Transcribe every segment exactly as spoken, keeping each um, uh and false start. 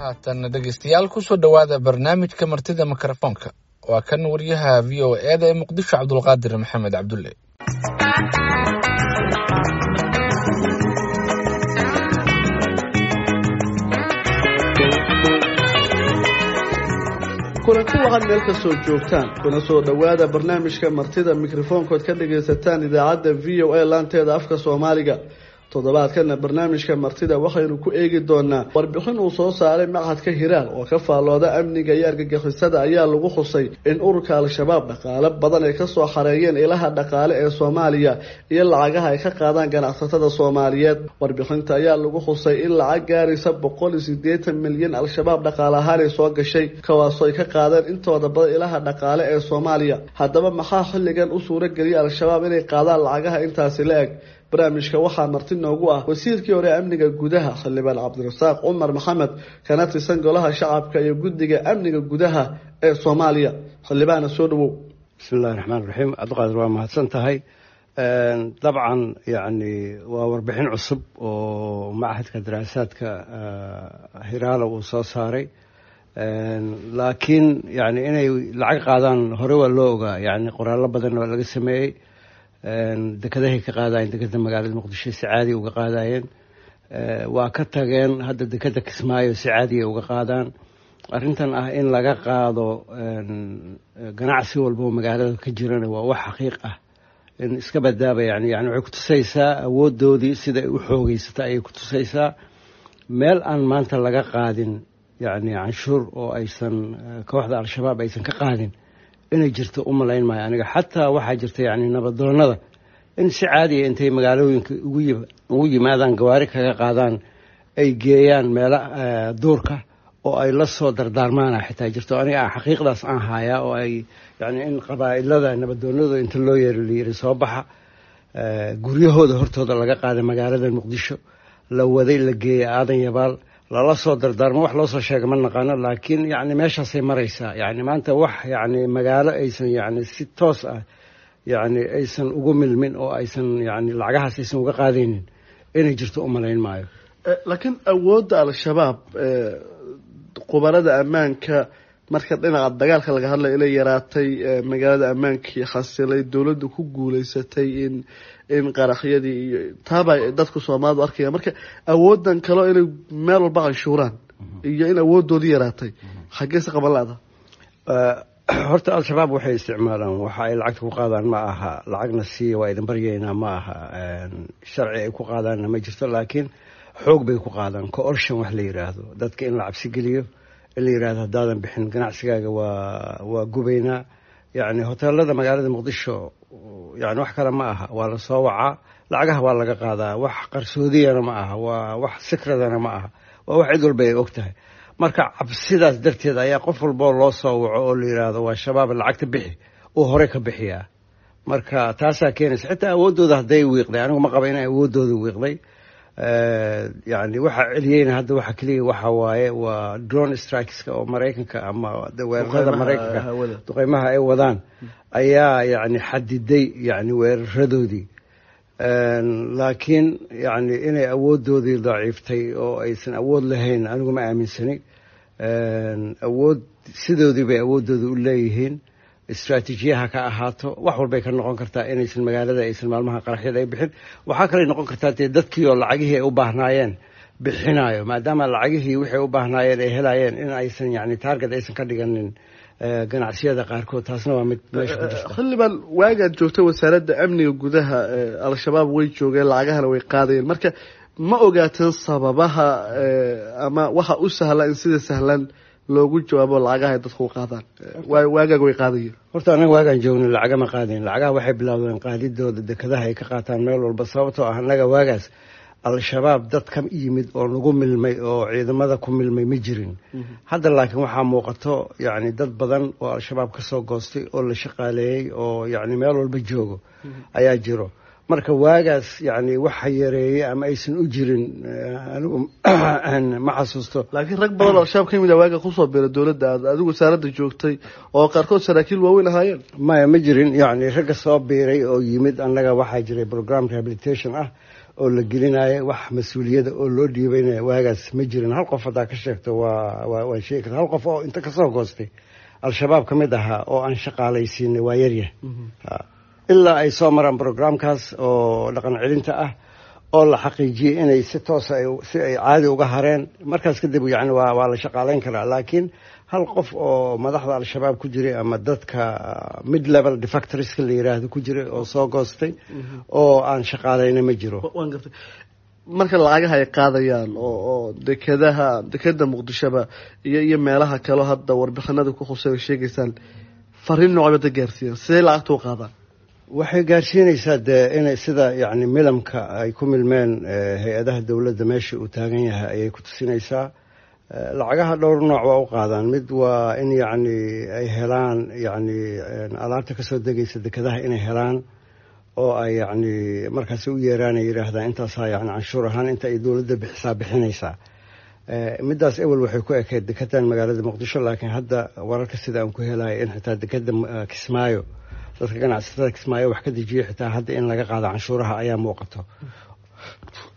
Haatan dhegeystayaal kusoo dhowaada barnaamijka martida mikrofoonka. Waa kan wariyaha V O E da ee Muqdisho, Cabdulqaadir Maxamed Cabdulle. Kulanti waxaad meel kastoo joogtaan kuna soo dhowaada barnaamijka martida mikrofoonkood ka dhagaysataan idaacadda V O A laanteeda afka Soomaaliga. Toddobaadkana barnaamijka martida waxaynu ku eegi doonaa warbixin uu soo saaray machadka Hiraal oo ka faallooda amniga iyo argagixisada ayaa lagu xusay in ururka Al-Shabaab dhaqaale badan ay kasoo xareeyeen ilaha dhaqaale ee Soomaaliya iyo lacagaha ay ka qaadaan ganacsatada Soomaaliyeed. Warbixinta ayaa lagu xusay in lacag gaaraysa boqol iyo siddeetan milyan Al-Shabaab dhaqaale ahaan ay soo gashay, kuwaasoo ay ka qaadeen intooda badan ilaha dhaqaale ee Soomaaliya. Haddaba maxaa xilligan u suurageliyay Al-Shabaab inay qaadaan lacagaha intaasi la eg? Barnaamijka waxaa marti noogu ah wasiirkii hore amniga gudaha xildhibaan Cabdirasaaq Cumar Maxamed, kana tirsan golaha shacabka iyo guddiga amniga gudaha ee Soomaaliya. Xildhibaana, soo dhawow. Bismillahi raxmaan raxiim. Cabdiqaadir, waa mahadsan tahay. Dabcan yani waa warbixin cusub oo machadka daraasaadka Hiraala uu soo saaray, laakiin yani inay lacag qaadaan hore waa loo ogaa, yani qoraallo badan waa laga sameeyey. Dekadahay ka qaadayeen, dekada magaalada Muqdisho si caadiya uga qaadayeen, waa ka tageen. Hadda dekada Kismaayo si caadiya uga qaadaan. Arrintan ah in laga qaado ganacsi walba oo magaalada ka jirana waa wax xaqiiq ah in iska badaaba. Yani yani waxay kutusaysaa awoodoodii sida ay u xoogeysata ayay kutusaysaa. Meel aan maanta laga qaadin yani canshuur oo aysan kooxda Al-Shabaab aysan ka qaadin inay jirto u malayn maayo aniga. Xataa waxaa jirta yani nabadoonada in si caadiya intay magaalooyinka ugu ugu yimaadaan, gawaari kaga qaadaan, ay geeyaan meelo duurka oo ay la soo dardaarmaana xitaa jirto. Aniga aan xaqiiqdaas aan hayaa oo ay yani in qabaa'ilada nabadoonada inta loo yeero la yiri soo baxa, guryahooda hortooda laga qaaday magaalada Muqdisho, la waday, la geeyay Aadan Yabaal, lala soo dardaarmo. Wax loo soo sheega ma naqaano, laakiin yani meeshaasay maraysaa. Yani maanta wax yani magaalo aysan yani si toos ah yani aysan ugu milmin oo aysan yani lacagahaas aysan uga qaadaynin inay jirto u malayn maayo. Laakiin awoodda Al-Shabaab, khubarada ammaanka marka dhinaca dagaalka laga hadlay inay yaraatay, magaalada ammaankii xasilay, dowladdu ku guuleysatay in in qaraxyadii iyo taabay dadku Soomaalidu arkaya, marka awoodan kaleo inay meel walba canshuuraan iyo in awooddoodii yaraatay xaggee se qaban la-da? Horta Al-Shabaab waxay isticmaalaan, waxa ay lacagta ku qaadaan ma aha lacagna siiya waa idin baryaynaa, ma aha. Sharci ay ku qaadaanna ma jirto, laakiin xoog bay ku qaadaan, coercion wax la yidhaahdo, dadka in la cabsi geliyo, in la yidhahdo haddaadan bixin ganacsigaaga waa waa gubaynaa. Yacni hoteelada magaalada Muqdisho yani wax kale ma aha, waa la soo wacaa, lacagaha waa laga qaadaa. Wax qarsoodiyana ma aha, waa wax sikradana ma aha, waa wax cid walba ay og tahay. Marka cabsidaas darteed ayaa qof walboo loo soo waco oo la yidhaahdo waa Shabaab, lacagta bixi, uu hore ka bixiyaa. Marka taasaa keenaysa. Xitaa awooddooda hadday wiiqday, anigu ma qaba inay awooddooda wiiqday. Yani waxa celiyeyna hadda waxa keliya waxa waaye waa drone strikeska oo Maraykanka ama weerarada Maraykanka, duqeymaha ay wadaan ayaa yani xadiday yani weeraradoodii. Laakiin yani inay awooddoodii daciiftay oo aysan awood lahayn anigu ma aaminsani. Awood sidoodii bay awooddooda u leeyihiin, istraatiijiyaha ka ahaato, wax walbay ka noqon kartaa inaysan magaalada aysan maalmaha qaraxyada ay bixin. Waxaa kaley noqon kartaa dee dadkii oo lacagihii ay u baahnaayeen bixinayo, maadaama lacagihii waxay u baahnaayeen ay helayeen, in aysan yani target aysan ka dhiganin ganacsiyada qaarkood. Taasna waa mid meesha ku jirta. Xildhibaan, waagaad joogtay wasaaradda amniga gudaha Al-Shabaab way joogeen, lacagahana way qaadayeen. Marka ma ogaateen sababaha ama waxa u sahla in sida sahlan loogu jawaabo lacagaha ay dadku qaadaan? Waagaaga way qaadayeen. Horta annaga waagaan joogna lacaga ma qaadayn. Lacagaha waxay bilowdeen qaadidooda dekadaha ay ka qaataan meel walba, sababtoo ah annaga waagaas Al-Shabaab dad ka yimid oo nagu milmay oo ciidamada ku milmay ma jirin. Hadda laakiin waxaa muuqato yacni dad badan oo Al-Shabaab ka soo goostay oo la shaqaaleeyey oo yacni meel walba joogo ayaa jiro. Marka waagaas yacni waxa yareeyey ama aysan u jirin anigu ma xasuusto. Laakiin rag badan oo Al-Shabaab ka yimid waaga kusoo biiray dowladda aad adigu wasaaradda joogtay oo qaarkood saraakiil waaweyn ahaayeen. Maya, ma jirin. Yacni ragga soo biiray oo yimid, annaga waxaa jiray program rehabilitation ah oo la gelinaya wax mas-uuliyada oo loo dhiibaynaya waagaas ma jirin. Hal qof haddaa ka sheegto waa waa sheegi karta, hal qof oo inta kasoo goostay Al-Shabaab ka mid ahaa oo aan shaqaalaysiinay waa yaryahay, ilaa ay soo maraan programkaas oo dhaqan celinta ah oo la xaqiijiyey inay si toosa si ay caadi uga hareen. Markaas kadib yani waa waa la shaqaalayn karaa. Laakiin hal qof oo madaxda Al-Shabaab ku jiray ama dadka mid level defectorska la yiraahdo ku jiray oo soo goostay oo aan shaqaalayna ma jiro. Waan gartay. Marka lacagaha ay qaadayaan oo oo dekedaha, dekeda Muqdishoba iyo iyo meelaha kaleo hadda warbixinada ku khusay sheegaysaan, fariin noocbada gaarsiiyaan, sidee lacagta u qaadaan? Waxay gaarsiinaysaa dee inay sida yacni milamka ay ku milmeen hay-adaha dowladda meesha uu taagan yahay ayay ku tusinaysaa. Lacagaha dhowr nooc waa u qaadaan. Mid waa in yacni ay helaan yacni alaabta kasoo degaysa dekedaha inay helaan oo ay yacni markaasi u yeeraan ay yidhaahdaan intaasaa yacni canshuur ahaan inta ay dowladda bixisaa bixinaysaa. Middaas ewel waxay ku ekeyd dekedan magaalada Muqdisho, laakiin hadda wararka sida aan ku helayo in xitaa dekeda Kismaayo, dadka ganacsatada Kismaayo wax ka dejiya xitaa hadda in laga qaado canshuuraha ayaa muuqato,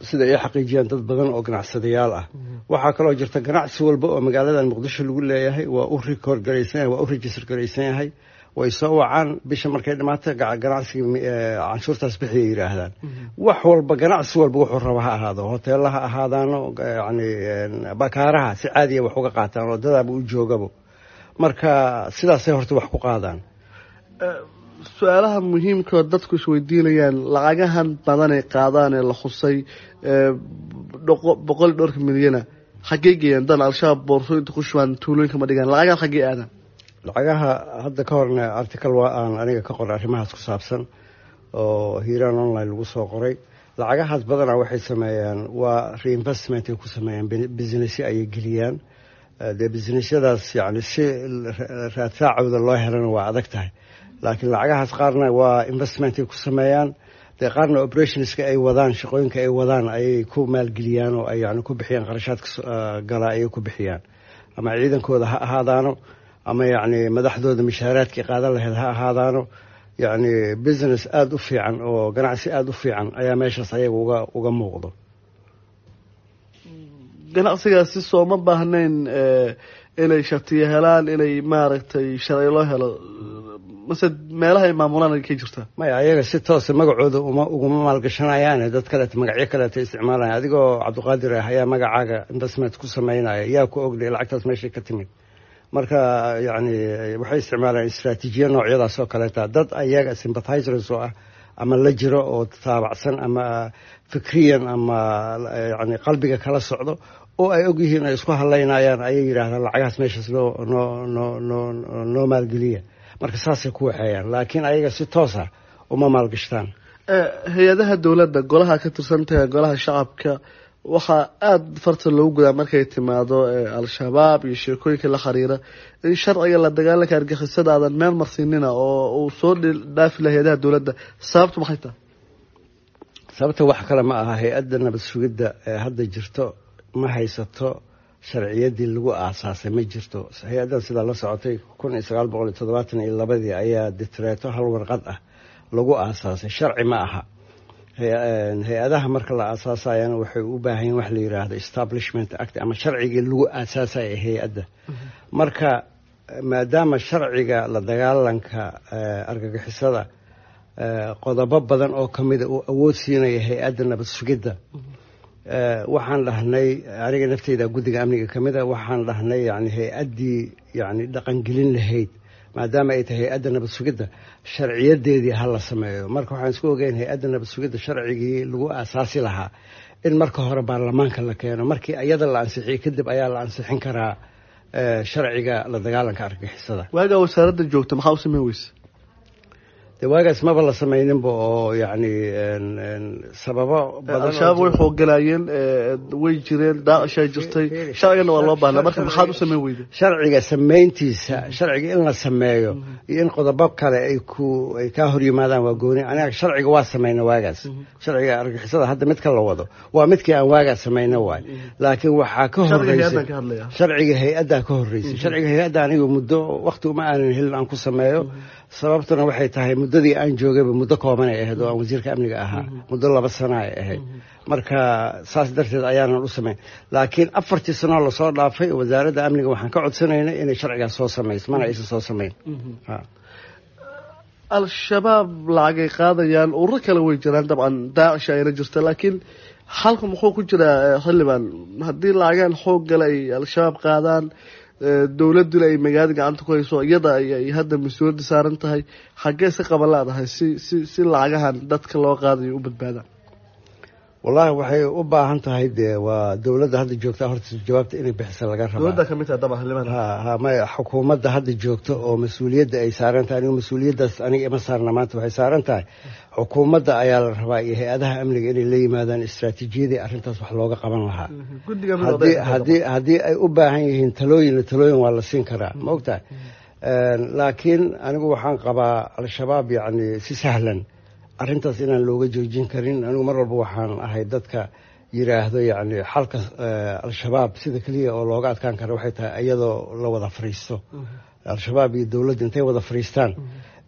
sida ay xaqiijiyaan dad badan oo ganacsadayaal ah. Waxaa kaloo jirta ganacsi walba oo magaaladan Muqdisho lagu leeyahay waa u record garaysan yahay, waa u register garaysan yahay. Way soo wacaan bisha markay dhamaato, ganacsiga canshuurtaas bixiyay yidhaahdaan. Wax walba, ganacsi walba wuxuu raba ha ahaado, hoteella ha ahaadaano, yani bakaaraha si caadiya wax uga qaataan oo dadaaba u joogabo. Marka sidaasay horta wax ku qaadaan. Su-aalaha muhiimka oo dadku isweydiinayaan, lacagahan badan ay qaadaan ee la khusay boqol iyo dhowrka milyana xaggey geeyaan? Dan Al-Shabaab boorsooyinta ku shubaan tuulooyinka ma dhigaan, lacagahan xaggey aadaan? Lacagaha hadda ka horna article waa aan aniga ka qoray arrimahaas ku saabsan oo Hiiraan Online lagu soo qoray. Lacagahaas badanaa waxay sameeyaan waa reinvestment ay ku sameeyaan, businessyo ayay geliyaan. Dee businessyadaas yani si raadsaacooda loo helana waa adag tahay, laakiin lacagahaas qaarna waa investment ay ku sameeyaan, dee qaarna operationska ay wadaan, shaqooyinka ay wadaan ayay ku maalgeliyaan oo ay yani ku bixiyaan qarashaadka gala ayay ku bixiyaan, ama ciidankooda ha ahaadaano ama yacni madaxdooda mishaaraadkii qaadan lahayd ha ahaadaano. Yacni business aada u fiican oo ganacsi aada u fiican ayaa meeshaas ayaga uga uga muuqdo. Ganacsigaasi sooma baahnayn inay shatiyo helaan, inay maaragtay sharci loo helo, mase meelaha ay maamulaan ka jirtaa? Maya, ayaga si toosa magacooda uma uguma maalgashanayaane, dad kaleeta magacyo kaleeta isticmaalaya. Adigoo Cabdiqaadir ah ayaa magacaaga investment ku sameynaya, yaa ku ogdhay lacagtaas meeshay ka timid? Marka yacni waxay isticmaalayaan istraatiijiya noocyadaas oo kaleeta, dad ayaga sympathizers oo ah ama la jiro oo taabacsan ama fikriyan ama yani qalbiga kala socdo oo ay og yihiin ay isku hadlaynayaan ayay yidhaahdaan lacagahaas meeshaas noo noo noo noo noo maalgeliya. Marka saasay ku waxeeyaan, laakiin ayaga si toos ah uma maalgashtaan. Hay-adaha dowladda, golaha ka tirsantahay, golaha shacabka, waxaa aada farta loogu gudaa markay timaado Al-Shabaab iyo sheekooyinka la xiriira in sharciga la dagaalanka argixisada aadan meel marsiinina oo uu soo dhaafi laha hay-adaha dowladda. Sababtu maxay tahay? Sababta wax kale ma aha, hay-adda nabad sugidda ee hadda jirto ma haysato sharciyaddii lagu aasaasay, ma jirto. Hay-addan sidaa la socotay kun iyo sagaal boqol iyo toddobaatan iyo labadii ayaa ditreeto hal warqad ah lagu aasaasay, sharci ma aha. Hay-adaha marka la aasaasayana waxay u baahan yihin wax la yiraahdo Establishment Act ama sharcigii lagu aasaasaya hay-adda. Marka maadaama sharciga la dagaalanka argagixisada qodobo badan oo kamida uu awood siinaya hay-adda nabad sugidda, waxaan dhahnay, aniga nafteyda guddiga amniga kamid a, waxaan dhahnay yani hay-addii yani dhaqangelin lahayd maadaama ay tahay hay-adda nabad sugidda sharciyadeedii ha la sameeyo. Marka waxaan isku ogeyn hay-adda nabad sugidda sharcigii lagu aasaasi lahaa in marka hore baarlamaanka la keeno, markii iyada la ansixiyey kadib ayaa la ansixin karaa sharciga la dagaalanka argagixisada. Waagaa wasaaradda joogta maxaa u sameyn weyse? De waagaas maba la samayninba oo yacni sababo badan. Al-Shabaab way xoogalaayeen, way jireen, Daacishaa jirtay, sharcigana waa loo baahnaa, marka maxaad u sameyn weyde? Sharciga samayntiisa, sharciga in la sameeyo iyo in qodobo kale ay ku ay kaa hor yimaadaan waa gooni. Aniga sharciga waa samayna waagaas, sharciga argixisada hadda midka la wado waa midkii aan waagaas samayna waay, laakiin waxaa ka horeysay sharciga hay-addaa ka horreysay. Sharciga hay-adda aniga muddo waqti uma aanan helin aan ku sameeyo, sababtuna waxay tahay muddo Muddadii aan joogayba muddo kooban ay ahayd oo aan wasiirka amniga ahaa, muddo laba sana ay ahayd. Marka saas darteed ayaanan u samayn, laakiin afartii sanoo lasoo dhaafay wasaaradda amniga waxaan ka codsanaynay inay sharcigaas soo samayso, mana aysan soo samayn. Al-Shabaab lacagay qaadayaan, ururo kale way jiraan, dabcan Daacish ayna jirta, laakiin xalku muxuu ku jiraa, xildhibaan, haddii lacagaan xoog gale ay Al-Shabaab qaadaan, dowladduna ay magaalada gacanta ku hayso, iyada ay hadda mas-uuliyadda saaran tahay, xaggee si qaban laadahay si si si lacagahan dadka loo qaadayo u badbaadaan? Wallahi waxay u baahan tahay, dee waa dowladda hadda joogta horta jawaabta inay bixisa laga rabaa. Dowladda kamid tahay dabcan, xildhibaan. Ha ha, maya, xukuumadda hadda joogta oo mas-uuliyadda ay saaran tahay, anigu mas-uuliyaddaas aniga ima saarna maanta, waxay saaran tahay xukuumadda ayaa la rabaa iyo hay-adaha amniga inay la yimaadaan istaraatiijiyadii arrintaas wax looga qaban lahaa. Haddii haddii haddii ay u baahan yihiin talooyin, talooyin waa la siin karaa, ma ogtahay? Laakiin anigu waxaan qabaa Al-Shabaab yacni si sahlan arrintaas inaan looga joojin karin. Anigu mar walba waxaan ahay dadka yiraahdo yacni xalka Al-Shabaab sida keliya oo looga adkaan kara waxay tahay iyadoo la wada fariisto, Al-Shabaab iyo dowladda intay wada fariistaan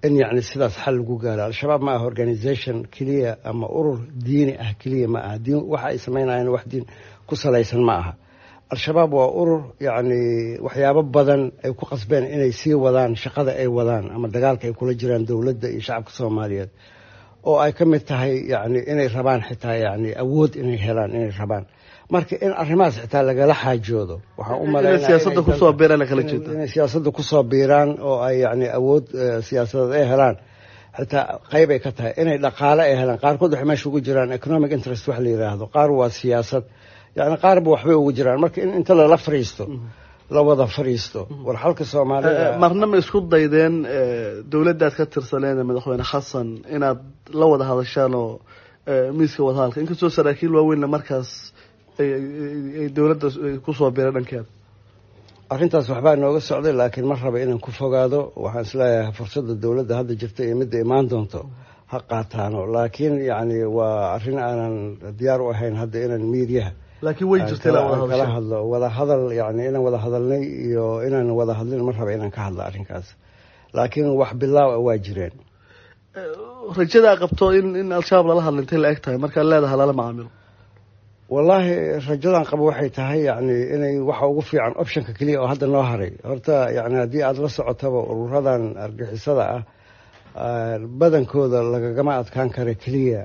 in yacni sidaas xal lagu gaaro. Al-Shabaab ma aha organisation keliya ama urur diini ah keliya ma aha, diin waxa ay samaynayaan wax diin ku salaysan ma aha. Al-Shabaab waa urur yacni waxyaabo badan ay ku qasbeen inay sii wadaan shaqada ay wadaan ama dagaalka ay kula jiraan dowladda iyo shacabka Soomaaliyeed, oo ay ka mid tahay yacni inay rabaan xitaa yacni awood inay helaan inay rabaan. Marka in arrimahaas xitaa lagala xaajoodo waxaan u malaynaya siyaasadda kusoo biiraan kala jeeda, inay siyaasadda kusoo biiraan oo ay yacni awood siyaasadeed ay helaan xitaa qayb ay ka tahay, inay dhaqaale ay helaan. Qaarkood waxay meesha ugu jiraan economic interest wax la yidhaahdo, qaar waa siyaasad, yacni qaarba waxbay ugu jiraan. Marka in inta lala fariisto, la wada fariisto, war xalka Soomaalida. Marna ma isku daydeen dowladdaad ka tirsaneed madaxweyne Xasan inaad la wada hadashaan oo miiska wadahadalka, inkastoo saraakiil waaweynna markaas ay dowladda kusoo biiray dhankeeda? Arrintaas waxbaa nooga socday, laakiin ma raba inaan ku fogaado. Waxaan isleeyahay fursadda dowladda hadda jirta iyo midda imaan doonto ha qaataano, laakiin yacni waa arrin aanan diyaar u ahayn hadda inaan miidiyaha laakiin way jirtay kala hadlo. Wada hadal yani inaan wada hadalnay iyo inaan wada hadlin ma raba inaan ka hadlo arrinkaas, laakiin wax bilaaw a waa jireen. Rajadaa qabto in in Al-Shabaab lala hadla intay la eg tahay markaad leedahay lala macaamilo? Wallaahi rajadan qabo waxay tahay yacni inay waxa ugu fiican optionka keliya oo hadda noo haray horta, yacni haddii aada la socotaba ururadan argixisada ah badankooda lagagama adkaan kara keliya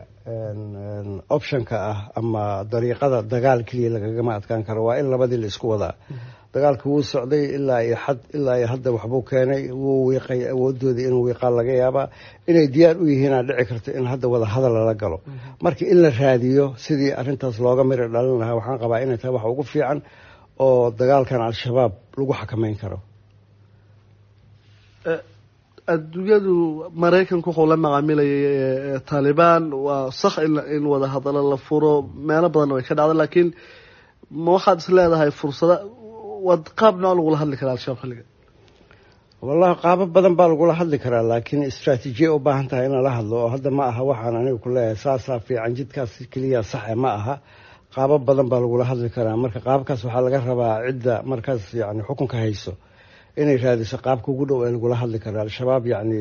optionka ah ama dariiqada dagaal keliya lagagama adkaan karo, waa in labadii la isku wadaa. Dagaalka wuu socday ilaa iyo xad, ilaa iyo hadda waxbuu keenay, wuu wiiqay awoodoodii, inuu wiiqaa laga yaabaa, inay diyaar u yihiinaa dhici karto in hadda wada hadal lala galo. Marka in la raadiyo sidii arrintaas looga miri dhalin lahaa waxaan qabaa inay tahay waxa ugu fiican oo dagaalkan Al-Shabaab lagu xakameyn karo. Adduunyadu Maraykanku wuxuu la macaamilayay Taalibaan, waa sax in wada hadalo la furo, meelo badanna way ka dhacda, laakiin ma waxaad is leedahay fursada waad qaab nooc lagula hadli karaa Al-Shabaab xilliga? Wallahi qaabo badan baa lagula hadli karaa, laakiin istraatiijiya u baahan tahay in lala hadlo, oo hadda ma aha waxaan aniga ku leeyahay saasaa fiican, jidkaas keliya saxe ma aha. Qaabo badan baa lagula hadli karaa. Marka qaabkaas waxaa laga rabaa cidda markaas yacni xukunka hayso inay raadiso qaabka ugu dhow ee lagula hadli karo Al-Shabaab. Yacni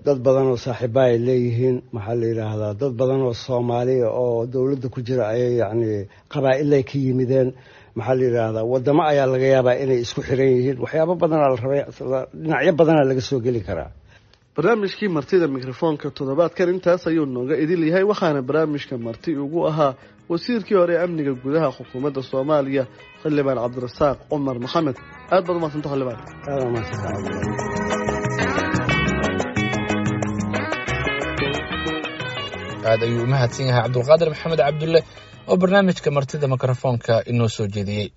dad badan oo saaxiiba ay leeyihiin, maxaa la yidhaahdaa, dad badan oo Soomaaliya oo dowladda ku jira ayay yacni qabaa-ilay ka yimideen, maxaa la yidhaahdaa, wadamo ayaa laga yaabaa inay isku xiran yihiin, waxyaabo badanaa la rabay, dhinacyo badanaa laga soo geli karaa. Barnaamijkii martida mikrofoonka toddobaadkan intaas ayuu nooga idil yahay, waxaana barnaamijka marti ugu ahaa wasiirkii hore ee amniga gudaha xukuumadda Soomaaliya, xildhibaan Cabdirasaaq Cumar Maxamed. Aad baad umadsanta xildhibaan. Aad umadsanta. Aad ayuu u mahadsan yahay Cabdulqaadir Maxamed Cabdulle oo barnaamijka martida mikrofoonka inoo soo jeediyey.